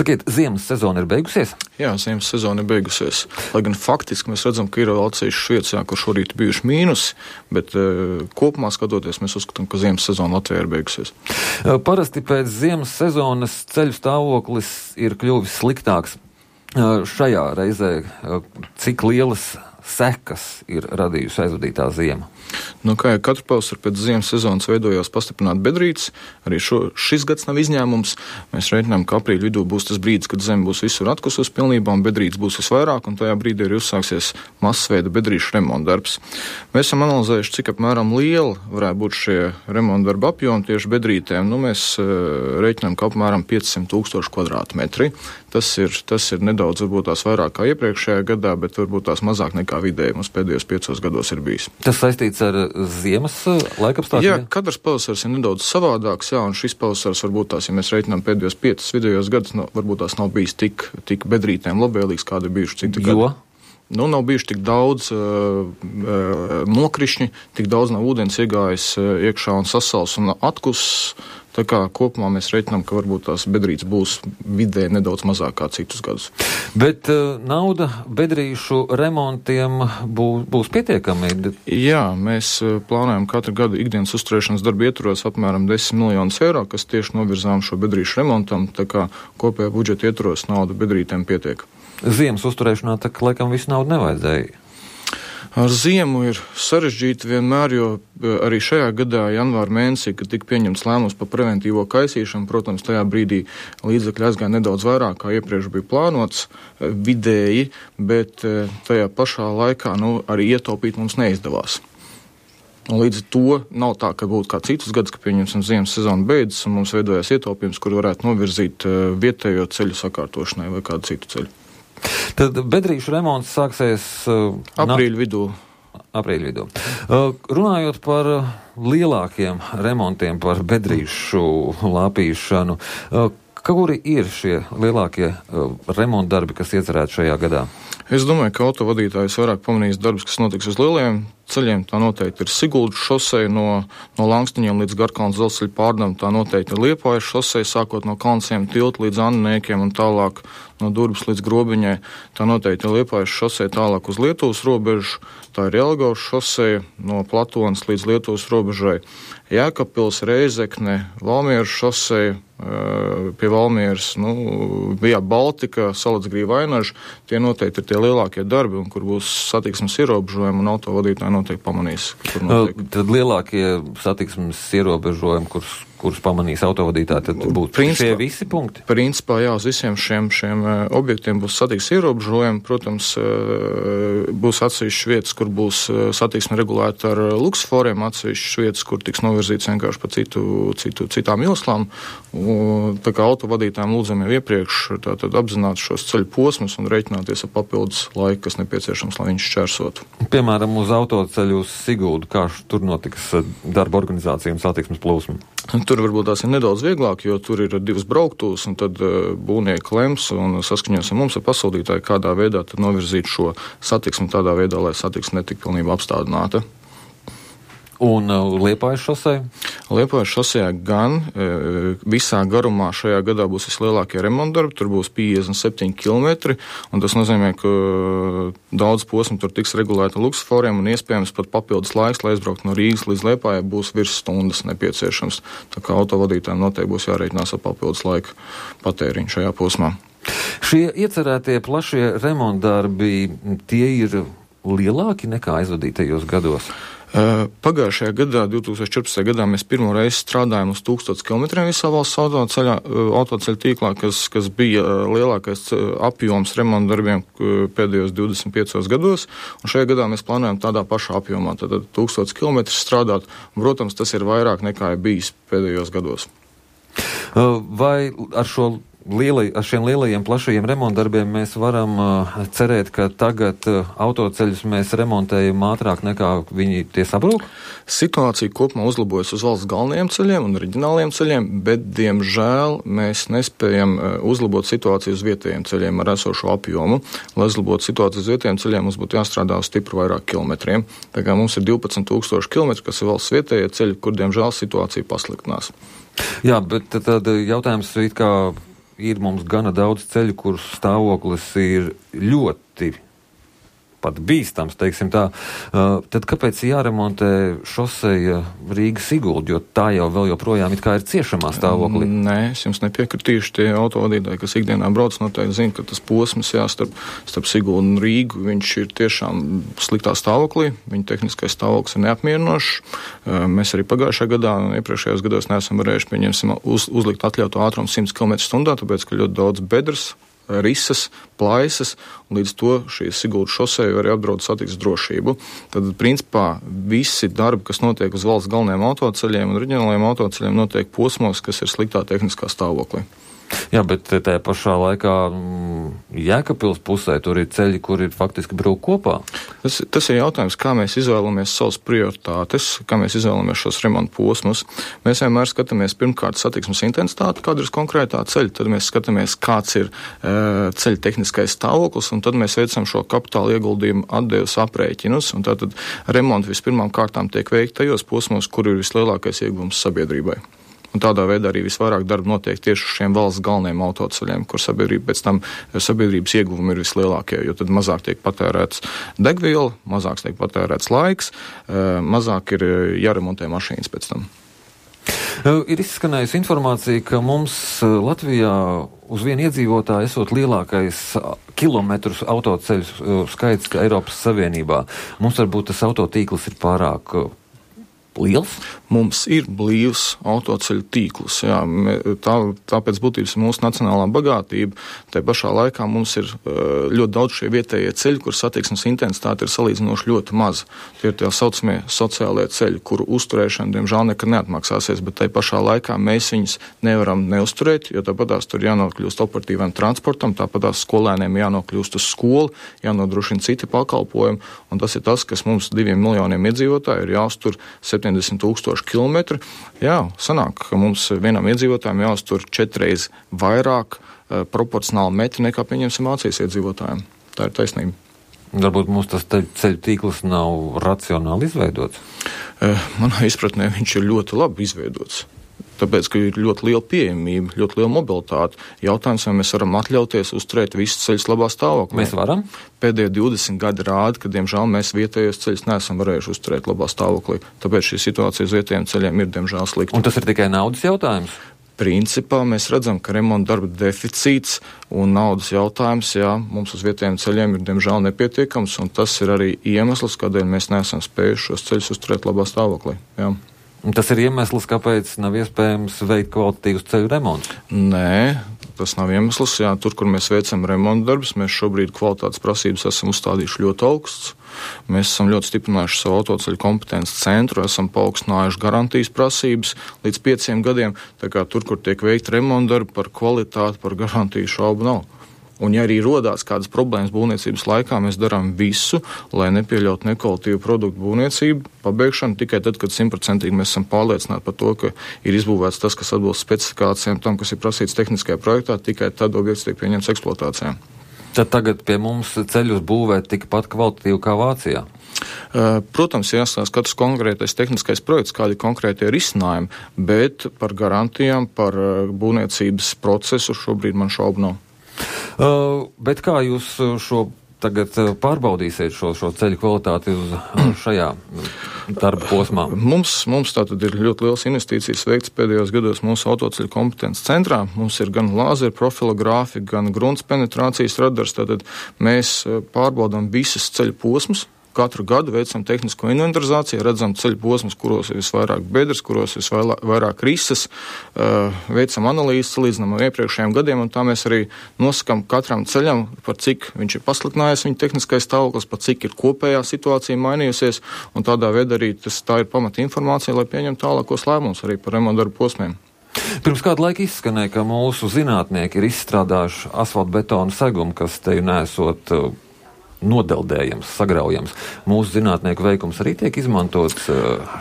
Sakiet, ziemas sezona ir beigusies? Jā, ziemas sezona ir beigusies. Lai gan faktiski mēs redzam, ka ir vēl atsevišķas vietas, kur šorīt bijuši mīnusi, bet kopumā skatoties, mēs uzskatām, ka ziemas sezona Latvijā ir beigusies. Parasti pēc ziemas sezonas ceļu stāvoklis ir kļuvis sliktāks. Šajā reizē cik lielas sekas ir radījusi aizvadītā ziema? Nu, kā jau katru pavasaru pēc ziemas sezonas veidojās pastiprināti bedrītes, arī šis gads nav izņēmums. Mēs reiķinām, ka aprīļa vidū būs tas brīdis, kad zeme būs visur atkusus pilnībā un bedrītes būs visvairāk, un tajā brīdī arī uzsāksies masveida bedrīšu remonta darbs. Mēs esam analizējuši, cik apmēram liela varētu būt šie remonta darba apjomi tieši bedrītēm. Nu, mēs reiķinām, ka apmēram 500,000 kvadrātmetri. Tas ir nedaudz varbūt tās vairāk kā iepriekšējā gadā, bet varbūt tās mazāk nekā vidēji mums pēdējos 5 gados ir bijis. Tas saistīts ar ziemas laikapstākļiem? Jā, katrs pavasars ir nedaudz savādāks, jā, un šis pavasars varbūt tās, ja mēs reiķinām pēdējos 5 vidējos gadus, varbūt tās nav bijis tik bedrītēm labvēlīgs, kādi ir bijuši citi gadi. Nu, nav bijuši tik daudz nokrišņi, tik daudz nav ūdens iegājis iekšā un sasals un atkus. Tā kā kopumā mēs reiķinām, ka varbūt tās bedrītes būs vidē nedaudz mazāk kā citus gadus. Bet nauda bedrīšu remontiem būs pietiekami? Jā, mēs plānojam katru gadu ikdienas uzturēšanas darbu ietvaros apmēram 10 miljonus eiro, kas tieši novirzām šo bedrīšu remontam, tā kā kopējā budžeta ietvaros nauda bedrītēm pietiek. Ziemas uzturēšanā tā laikam visu naudu nevajadzēja. Ar ziemu ir sarežģīti vienmēr, jo arī šajā gadā, janvāra mēnesī, kad tika pieņemts lēmums par preventīvo kaisīšanu, protams, tajā brīdī līdzekļi aizgāja nedaudz vairāk, kā iepriekš bija plānots vidēji, bet tajā pašā laikā arī ietaupīt mums neizdevās. Un līdz ar to nav tā, ka būtu kā citus gadus, ka pieņemsim ziemas sezonu beidzas un mums veidojās ietaupījums, kur varētu novirzīt vietējo ceļu sakārtošanai vai kādu citu ceļu. Tad bedrīšu remonts sāksies aprīļa vidū. Runājot par lielākiem remontiem, par bedrīšu lāpīšanu, kuri ir šie lielākie remontdarbi, kas iecerēti šajā gadā? Es domāju, ka autovadītājs vairāk pamanīs darbus, kas notiks uz lielajiem ceļiem. Tā noteikti ir Siguldas šoseja no Langstiņiem līdz Garkalnas dzelzceļa pārdam. Tā noteikti ir Liepājas šoseja, sākot no Kalnsiem tilta līdz Anniekiem un tālāk no Durbas līdz Grobiņai. Tā noteikti ir Liepājas šoseja tālāk uz Lietuvas robežu. Tā ir Jelgavas šoseja no Platonas līdz Lietuvas robežai. Jēkabpils, Reizekne, Valmieras šoseja, pie Valmieras, bija Baltika, Salacgrīva, Ainaža. Tie noteikti ir tie lielākie darbi, un kur būs satiksmes ierobežojumi, un autovadītāji noteikti pamanīs. Tad lielākie satiksmes ierobežojumi, kurus pamanīs autovadītāji, tad būtu šie visi punkti? Principā, jā, uz visiem šiem objektiem būs satiksmes ierobežojumi. Protams, būs atsevišķas vietas, kur būs satiksme regulēta ar luksusforiem, atsevišķas vietas, kur tiks novirzīts vienkārši pa citām ieslām. Tā kā autovadītājiem lūdzam jau iepriekš tātad apzināt šos ceļu posmus un reiķināties ar papildus laiku, kas nepieciešams, lai viņš šķērsotu. Piemēram, uz autoceļu uz Siguldu, kā tur notiks darba organizācija un satiksmes plūsma? Tur varbūt tās ir nedaudz vieglāk, jo tur ir 2 brauktūs, un tad būvnieki lems un saskaņos ar mums ar pasūtītāju, kādā veidā tad novirzīt šo satiksmi tādā veidā, lai satiksme netika pilnībā apstādināta. Un Liepājas šosei? Liepājas šosejā gan visā garumā šajā gadā būs vislielākie remontdarbi, tur būs 57 km, un tas nozīmē, ka daudz posmu tur tiks regulēta luksusforiem un iespējams pat papildus laiks, lai aizbraukt no Rīgas līdz Liepājai, būs virs stundas nepieciešams. Tā kā autovadītājiem noteikti būs jārēķinās ar papildus laika patēriņu šajā posmā. Šie iecerētie plašie remontdarbi, tie ir lielāki nekā aizvadītajos gados? Pagājušajā gadā, 2014. gadā, mēs pirmo reizi strādājām uz 1000 km visā valsts autoceļa tīklā, kas bija lielākais apjoms remontdarbiem pēdējos 25 gados, un šajā gadā mēs plānojam tādā pašā apjomā, tātad 1000 km strādāt, un, protams, tas ir vairāk nekā ir bijis pēdējos gados. Vai ar šiem lielajiem plašajiem remontdarbiem mēs varam cerēt, ka tagad autoceļus mēs remontējam ātrāk nekā viņi tie sabrūk? Situācija kopumā uzlabojas uz valsts galvenajiem ceļiem un reģionāliem ceļiem, bet, diemžēl, mēs nespējam uzlabot situāciju uz vietējiem ceļiem ar esošo apjomu. Lai uzlabotu situāciju uz vietējiem ceļiem, mums būtu jāstrādā uz stipri vairāk kilometriem. Tā kā mums ir 12,000 km, kas ir valsts vietējie ceļi, kur, diemžēl, situācija pasliktinās. Jā, bet tad jautājums it kā ir mums gana daudz ceļu, kur stāvoklis ir ļoti pat bīstams, teiksim tā, tad kāpēc jāremontē šoseja Rīga-Sigulda, jo tā jau vēl joprojām it kā ir ciešamā stāvoklī? Nē, es jums nepiekritīšu. Tie autovadītāji, kas ikdienā brauc, noteikti zina, ka tas posms starp Siguldu un Rīgu, viņš ir tiešām sliktā stāvoklī, viņa tehniskais stāvoklis ir neapmierinošs. Mēs arī pagājušajā gadā un iepriekšējos gados neesam varējuši, pieņemsim, uzlikt atļautu ātrumu 100 km/h, tāpēc, ka ļoti daudz bedres, risas, plaisas, un līdz to šī Siguldas šoseja arī apdraud satiksmes drošību. Tad, principā, visi darbi, kas notiek uz valsts galvenajiem autoceļiem un reģionālajiem autoceļiem, notiek posmos, kas ir sliktā tehniskā stāvoklī. Jā, bet tajā pašā laikā Jēkabpils pusē tur ir ceļi, kur ir faktiski brūk kopā. Tas ir jautājums, kā mēs izvēlamies savas prioritātes, kā mēs izvēlamies šos remontu posmus. Mēs vienmēr skatāmies pirmkārt satiksmes intensitāti, kāda ir konkrētā ceļa, tad mēs skatāmies, kāds ir ceļa tehniskais stāvoklis, un tad mēs veicam šo kapitāla ieguldījumu atdevas aprēķinus, un tātad remonti vispirmām kārtām tiek veikti tajos posmos, kur ir vislielākais ieguvums sabiedrībai. Un tādā veidā arī visvairāk darba notiek tieši uz šiem valsts galvenajiem autoceļiem, kur sabiedrība pēc tam sabiedrības ieguvumi ir vislielākie, jo tad mazāk tiek patērēts degviela, mazāk tiek patērēts laiks, mazāk ir jāremontē mašīnas pēc tam. Ir izskanējusi informācija, ka mums Latvijā uz vienu iedzīvotāju esot lielākais kilometrus autoceļu skaits Eiropas Savienībā. Mums varbūt tas autotīkls ir pārāk liels? Mums ir blīvs autoceļu tīkls. Jā, tāpēc būtības ir mūsu nacionālā bagātība. Tā pašā laikā mums ir ļoti daudz šie vietējie ceļi, kur satiksmes intensitāte ir salīdzinoši ļoti maza. Tie ir tie saucamie sociālie ceļi, kuru uzturēšana, diemžēl, nekad neatmaksāsies, bet tā pašā laikā mēs viņus nevaram neuzturēt, jo tāpatās tur jānokļūst operatīvam transportam, tāpatās skolēniem jānokļūst uz skolu, jānodrošina citi pakalpojumi, un tas ir tas, kas mums 2 miljoniem iedzīvotāju ir jāuztur 70,000 kilometri. Jā, sanāk, ka mums vienam iedzīvotājiem jāuztur 4 reizes vairāk proporcionāli metri nekā, pieņemsim, Vācijas iedzīvotājiem. Tā ir taisnība. Varbūt mums tas ceļu tīkls nav racionāli izveidots? Manā izpratnē viņš ir ļoti labi izveidots. Tāpēc, ka ir ļoti liela pieejamība, ļoti liela mobilitāte. Jautājums, vai mēs varam atļauties uzturēt visus ceļus labā stāvoklī? Mēs varam? Pēdējie 20 gadi rāda, ka, diemžēl, mēs vietējos ceļus neesam varējuši uzturēt labā stāvoklī. Tāpēc šī situācija uz vietējiem ceļiem ir, diemžēl, slikta. Un tas ir tikai naudas jautājums? Principā mēs redzam, ka remonta darba deficīts un naudas jautājums, jā, mums uz vietējiem ceļiem ir, diemžēl, nepietiekams, un tas ir arī iemesls, kādēļ mēs neesam spējuši šos ceļus uzturēt labā stāvoklī. Jā. Un tas ir iemesls, kāpēc nav iespējams veikt kvalitatīvus ceļu remontus? Nē, tas nav iemesls. Jā, tur, kur mēs veicam remontu darbus, mēs šobrīd kvalitātes prasības esam uzstādījuši ļoti augsts. Mēs esam ļoti stiprinājuši savu autoceļu kompetences centru, esam paaugstinājuši garantijas prasības līdz 5 gadiem. Tā kā tur, kur tiek veikta remontu darbi, par kvalitāti, par garantiju šaubu nav. Un, ja arī rodās kādas problēmas būvniecības laikā, mēs darām visu, lai nepieļautu nekvalitīvu produktu būvniecību, pabeigšanu tikai tad, kad 100% mēs esam pārliecināti par to, ka ir izbūvēts tas, kas atbilst specifikācijām, tam, kas ir prasīts tehniskajā projektā, tikai tad objekts tiek pieņemts eksploatācijā. Tad tagad pie mums ceļus būvēt tikpat kvalitatīvi kā Vācijā? Protams, jāstāsta katrs konkrētais tehniskais projekts, kādi konkrētie risinājumi, bet par garantijām, par būvniecības procesu šobrīd man šaubu nav. Bet kā jūs šo tagad pārbaudīsiet šo ceļu kvalitāti uz šajā darba posmā? Mums tātad ir ļoti liels investīcijas veikts pēdējos gados mūsu autoceļu kompetences centrā. Mums ir gan lāzeru profilogrāfi, gan grunts penetrācijas radars. Tātad mēs pārbaudām visas ceļu posmus. Katru gadu veicam tehnisko inventarizāciju, redzam ceļu posmus, kuros ir visvairāk bedres, kuros ir visvairāk risas, veicam analīzes, salīdzinām ar iepriekšējiem gadiem, un tā mēs arī nosakam katram ceļam, par cik viņš ir pasliktinājies, viņa tehniskais stāvoklis, par cik ir kopējā situācija mainījusies, un tādā veidā arī tā ir pamata informācija, lai pieņemtu tālākos lēmumus arī par remontu darbu posmiem. Pirms kādu laiku izskanēja, ka mūsu zinātnieki ir izstrādājuši asfaltbetonu segumu, kas te nesot nodeldējams, sagraujams. Mūsu zinātnieku veikums arī tiek izmantots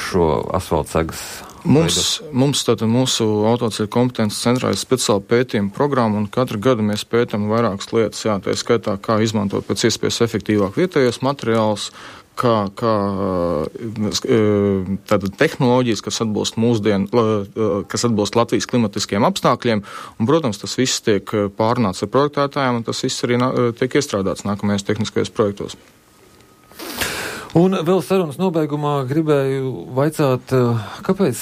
šo asfaltsegas Mūsu autoceļu kompetences centrā ir speciāla pētījuma programma, un katru gadu mēs pētam vairākas lietas. Jā, tā ir skaitā, kā izmantot pēc iespējas efektīvāk vietējos materiālus, tātad tehnoloģijas, kas atbilst Latvijas klimatiskiem apstākļiem, un, protams, tas viss tiek pārunāts ar projektētājiem, un tas viss arī tiek iestrādāts nākamajos tehniskajos projektos. Un vēl sarunas nobeigumā gribēju vaicāt, kāpēc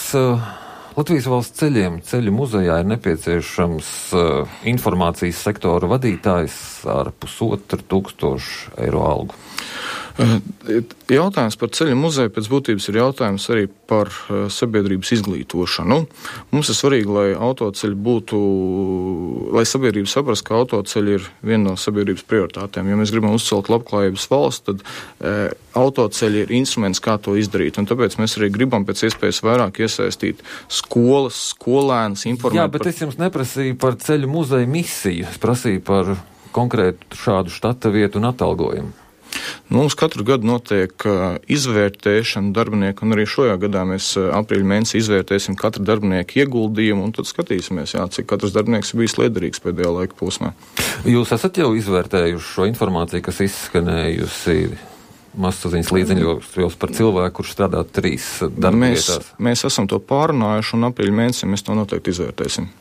Latvijas valsts ceļu muzejā ir nepieciešams informācijas sektora vadītājs ar 1,500 eiro algu? Jautājums par ceļu muzeju pēc būtības ir jautājums arī par sabiedrības izglītošanu. Mums ir svarīgi, lai autoceļi būtu, lai sabiedrība saprast, ka autoceļi ir viena no sabiedrības prioritātēm. Ja mēs gribam uzcelt labklājības valsts, tad autoceļi ir instruments, kā to izdarīt. Un tāpēc mēs arī gribam pēc iespējas vairāk iesaistīt skolas, skolēnus, informēt. Jā, bet es jums neprasīju par ceļu muzeju misiju. Es prasīju par konkrētu šādu štata vietu un atalgojumu. Mums katru gadu notiek izvērtēšana darbinieku, un arī šajā gadā mēs aprīļa mēnesī izvērtēsim katru darbinieku ieguldījumu, un tad skatīsimies, cik katrs darbinieks ir bijis liederīgs pēdējā laika posmā. Jūs esat jau izvērtējuši šo informāciju, kas izskanējusi mazsaziņas līdziņos par cilvēku, kurš strādā 3 darbvietās? Mēs esam to pārunājuši, un aprīļa mēnesī mēs to noteikti izvērtēsim.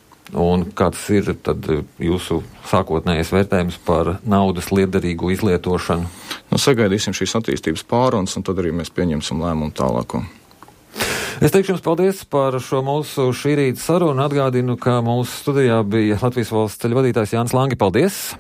Un kāds ir tad jūsu sākotnējais vērtējums par naudas liederīgu izlietošanu? Sagaidīsim šīs attīstības pārunas, un tad arī mēs pieņemsim lēmumu tālāko. Es teikšu jums paldies par šo mūsu šī rīta sarunu. Atgādinu, ka mūsu studijā bija Latvijas valsts ceļu vadītājs Jānis Langi. Paldies!